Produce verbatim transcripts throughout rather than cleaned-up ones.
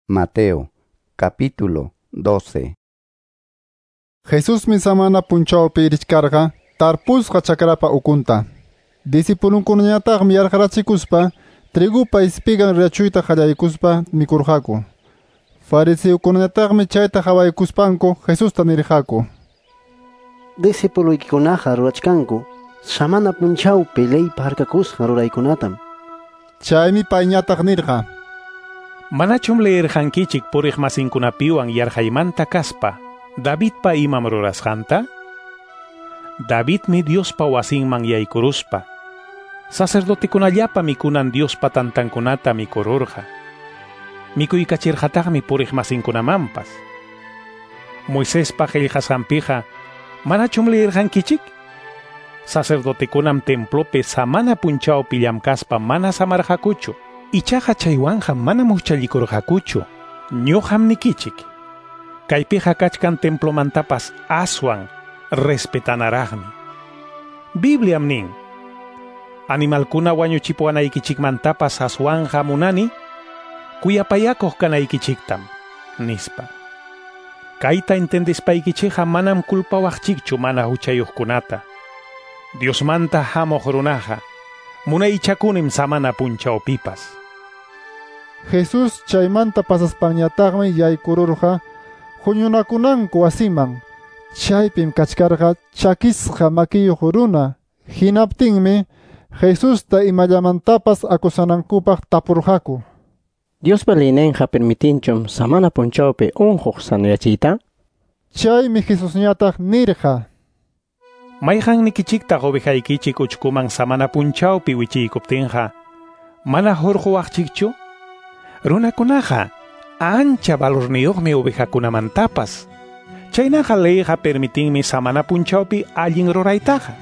Mateo, capítulo doce. Jesusmi samana punchawpi richkarqa tarpusqa chakrapa ukunta. Discipulunkunañataqmi yarqarachikuspa trigupa ispigan rachuyta qallaykuspa mikurqaku. Fariseokunañataqmi chayta qawaykuspanku Jesusta nirqaku: Discipuluykikunaqa rurachkanku samana punchawpi leypa harkakusqan ruraykunatam. Chaymi payñataq nirqa: Manachum leerqankichik puriq masinkunapiwan yarqaymanta kaspa Davidpa imam rurasqanta? Davidmi Diospa wasinman yaykuruspa sacerdotekunallapa mikunan Diospa tantankunata mikururqa. Mikuykachirqataqmi puriq masinkunamanpas. Moisespa qillqasqanpiqa manachum leerqankichik? Sacerdotekunam templopi samana punchawpi llamkaspa mana samarqakuchu. Ichaqa chaywanqa manam huchallikurqakuchu. Ñuqam nikichik. Kaypiqa kachkan templomantapas aswan respetanaraqmi. Bibliam nin: Animalkuna wañuchipuwanaykichikmantapas aswanqa munani kuyapayakuq kanaykichiktam, nispa. Kayta entendispaykichikqa manam culpawaqchikchu mana huchayuqkunata. Diosmanta hamuq runaqa munaychakunim samana punchawpipas. Jesús chaymanta pasaspanñataqmi yaykururqa huñunakunanku wasiman. Chaypim kachkarqa chakisqa makiyuq runa. Hinaptinmi Jesusta imallamantapas akusanankupaq tapurqaku: Diospa leyninqa permitinchum samana punchawpi unquq sanuyachiyta? Chaymi Jesusñataq nirqa: Mayqannikichiktaq ovejaykichik uchkuman samana punchawpi wichiykuptinqa mana hurquwaqchikchu? Runakunaqa ancha valorniyuqmi ovejakunamantapas. Chaynaqa leyqa permitinmi samana punchawpi allin ruraytaqa.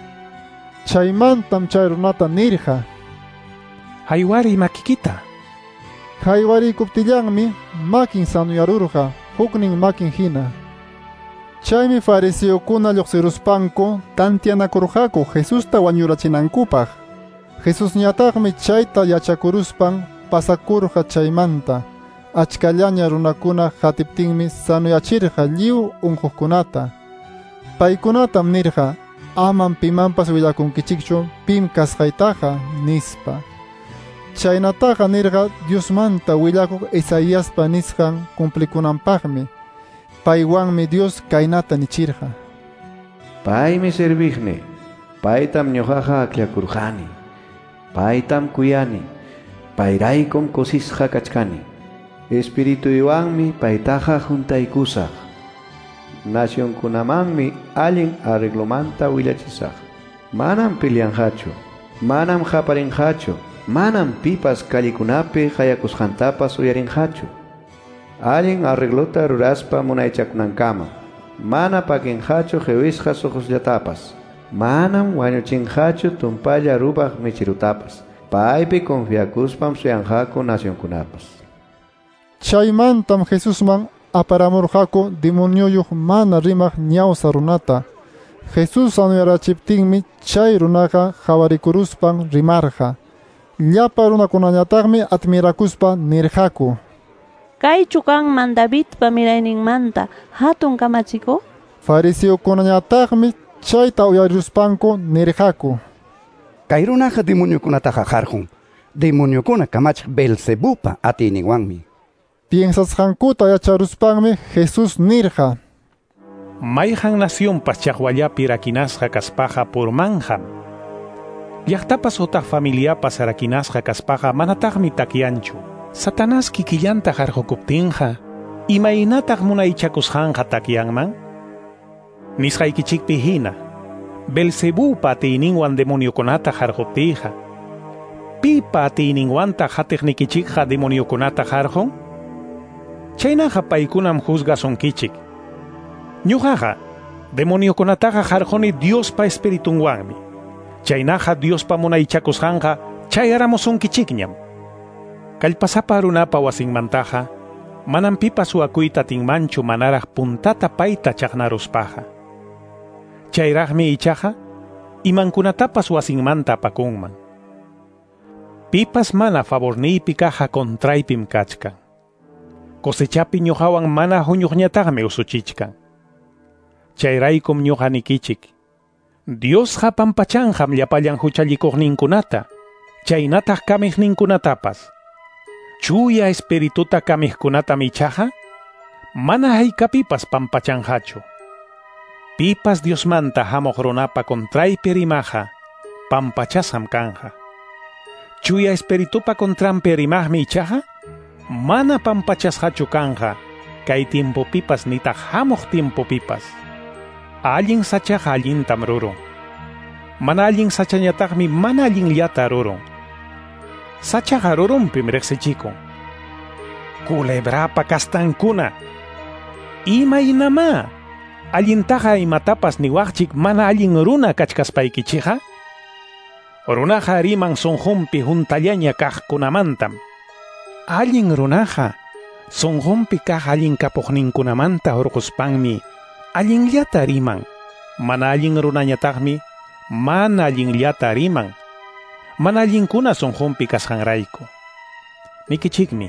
Chaymantam chay runata nirqa: Haywariy makikita. Haywarikuptillanmi makin sanuyarurqa huknin makin hina. Chaymi fariseokuna lluqsiruspanku tantianakurqaku Jesusta wañurachinankupaq. Jesusñataqmi chayta yachakuruspan pasakurqa chaymanta. Achkallaña runakuna qatiptinmi sanuyachirqa lliw unquqkunata. Paykunatam nirqa: Amam pimanpas willakunkichikchu pim kasqaytaqa, nispa. Chaynataqa nirqa Diosmanta willakuq Isaiaspa nisqan cumplikunanpaqmi. Paywanmi Dios kaynata nichirqa: Paymi serviqni, paytam ñuqaqa akllakurqani, paytam kuyani, payraykum kusisqa kachkani. Espirituywanmi paytaqa juntaykusaq. Nacionkunamanmi allin arreglomanta willachisaq. Manam peleanqachu, manam qaparinqachu, manam pipas callikunapi qayakusqantapas uyarinqachu. Allin arreglota ruraspa munaychakunankama, mana pakinqachu qiwisqa suqusllatapas, manam wañuchinqachu tumpalla rupaq michirutapas. Paypi confiakuspam suyanqaku nacionkunapas. Chaymantam Jesusman aparamurqaku demonioyuq mana rimaq ñawsa runata. Jesús sanuyarachiptinmi chay runaqa qhawarikuruspan rimarqa. Llapa runakunañataqmi admirakuspa nirqaku: Kaychu kanman Davidpa mirayninmanta hatun kamachikuq? Fariseokunañataqmi chayta uyariruspanku nirqaku: Kay runaqa demoniokunataqa qarqun, demoniokuna kamachiq Beelzebupa atiyninwanmi. Piensasqankuta yacharuspanmi Jesús nirqa: Mayqan nacionpas chaqwallapi rakinasqa kaspaqa purmanqam. Llaqtapas utaq familiapas rakinasqa kaspaqa manataqmi takyanchu. Satanás kikillanta qarqukuptinqa imaynataq munaychakusqanqa takyanman? Nisqaykichikpi hina, Beelzebupa atiyninwan demoniokunata qarquptiyqa, pipa atiyninwantaq hatiqnikichikqa demoniokunata qarqun? Chaynaqa paykunam juzgasunkichik. Ñuqaqa demoniokunataqa qarquni Diospa espiritunwanmi. Chaynaqa Diospa munaychakusqanqa chayaramusunkichikñam. Kallpasapa runapa wasinmantaqa manam pipas suwakuyta atinmanchu manaraq puntata payta chaqnaruspaqa. Chayraqmi ichaqa imankunatapas wasinmanta apakunman. Pipas mana favorniypi kaqqa contraypim kachkan. Cosechapi ñuqawan mana huñuqñataqmi usuchichkan. Chayraykum ñuqa nikichik. Diosqa pampachanqam llapallan huchallikuqninkunata, chaynataq kamiqninkunatapas. Chuya espirituta kamiqkunatam ichaqa mana haykapipas pampachanqachu. Pipas Diosmanta hamuq runapa contraypi rimaqa pampachasqam kanqa. Chuya espiritupa contranpi rimaqmi ichaqa mana pampachasqachu kanqa kay tiempopipas nitaq hamuq tiempopipas. Allin sachaqa allintam rurun. Mana allin sachañataqmi mana allinllata rurun. Sachaqa rurunpim riqsichikun. Culebrapa kastankuna. Imaynamá allintaqa imatapas niwaqchik mana allin runa kachkaspaykichikqa? Runaqa riman sunqunpi huntallaña kaqkunamantam. Allin runaqa sunqunpi kaq allin kapuqninkunamanta hurquspanmi allinllata riman. Mana allin runañataqmi mana allinllata riman. Mana allinkuna sunqunpi kasqanrayku. Nikichikmi,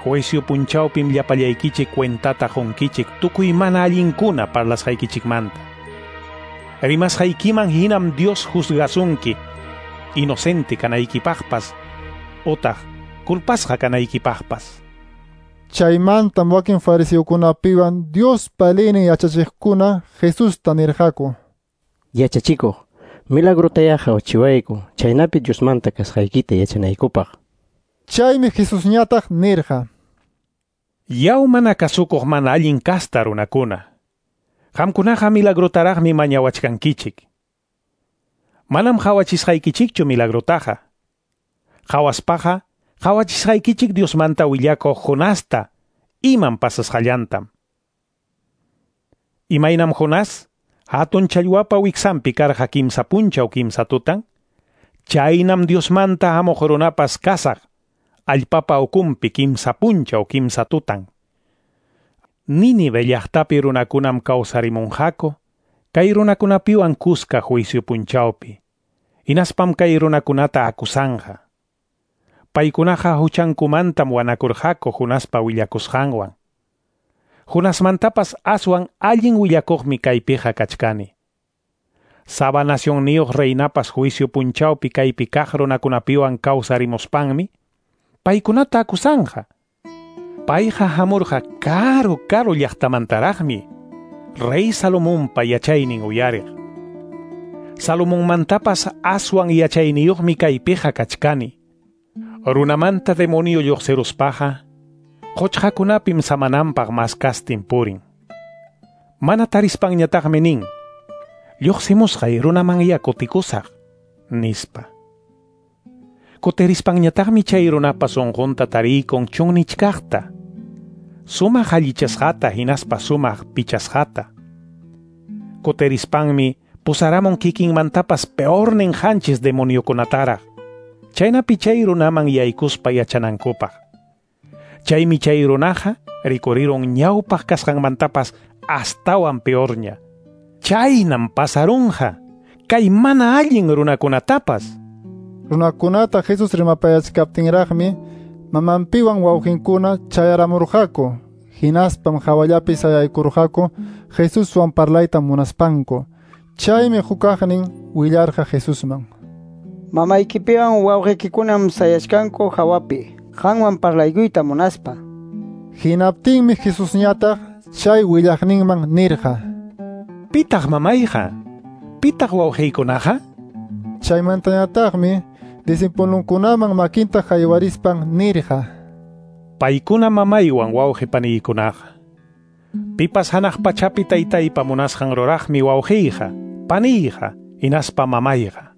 juicio punchawpim llapallaykichik cuentata qunkichik tukuy mana allinkuna parlasqaykichikmanta. Rimasqaykiman hinam Dios juzgasunki, inocente kanaykipaqpas otaq culpasqa kanaykipaqpas. Chaymantam wakin fariseokunapiwan Diospa leynin yachachiqkuna Jesusta nirqaku: Yachachikuq, milagrotayá qawachiwayku, chaynapi Diosmanta kasqaykita yachanaykupaq. Chaymi Jesusñataq nirqa: Yaw mana kasukuq mana allin kasta runakuna. Qamkunaqa milagrotaraqmi mañawachkankichik. Manam qawachisqaykichikchu milagrotaqa. Qawaspaqa qawachisqaykichik Diosmanta willakuq Jonasta imam pasasqallantam. Imaynam Jonás hatun challwapa wiksanpi karqa kimsa punchaw kimsa tutan, chaynam Diosmanta hamuq runapas kasaq allpapa ukunpi kimsa punchaw kimsa tutan. Nínive llaqtapi runakunam kawsarimunqaku, kay runakunapiwan kuska juicio punchawpi. Hinaspam kay runakunata acusanqa. Paykunaqa huchankumantam wanakurqaku Jonaspa willakusqanwan. Jonasmantapas aswan allin willakuqmi kaypiqa kachkani. Saba nacionniyuq reinapas juicio punchawpi kaypi kaq runakunapiwan kawsarimuspanmi paykunata acusanqa. Payqa hamurqa karu karu llaqtamantaraqmi rey Salomonpa yachaynin uyariq. Salomonmantapas aswan yachayniyuqmi kaypiqa kachkani. Runamanta demonio lluqsiruspaqa quchqakunapim samananpaq maskastin purin. Mana tarispanñataqmi nin: lluqsimusqay runamanya kutikusaq, nispa. Kutirispanñataqmi chay runapa sunqunta tariykun chunnichkaqta, sumaq allichasqata hinaspa sumaq pichasqata. Kutirispanmi pusaramun kikinmantapas peornin qanchis demoniokunataraq, chaynapi chay runaman yaykuspa yachanankupaq. Chaymi chay runaqa rikurirun ñawpaq kasqanmantapas astawan peorña. Chaynam pasarunqa kay mana allin runakunatapas. Runakunata Jesús rimapayachkaptinraqmi mamanpiwan wawqinkuna chayaramurqaku. Hinaspam hawallapi sayaykurqaku Jesuswan parlayta munaspanku. Chaymi hukaqnin willarqa Jesusman: Mamaykipiwan wawqikikunam sayachkanku hawapi, qanwan parlaykuyta munaspa. Hinaptinmi Jesusñataq chay willaqninman nirqa: Pitaq mamayqa? Pitaq wawqiykunaqa? Chaymantañataqmi discipulunkunaman makinta haywarispan nirqa: Paykuna mamaywan wawqi paniykunaqa. Pipas hanaq pachapi taytaypa munasqan ruraqmi wawqiyqa, paniyqa, hinaspa mamayqa.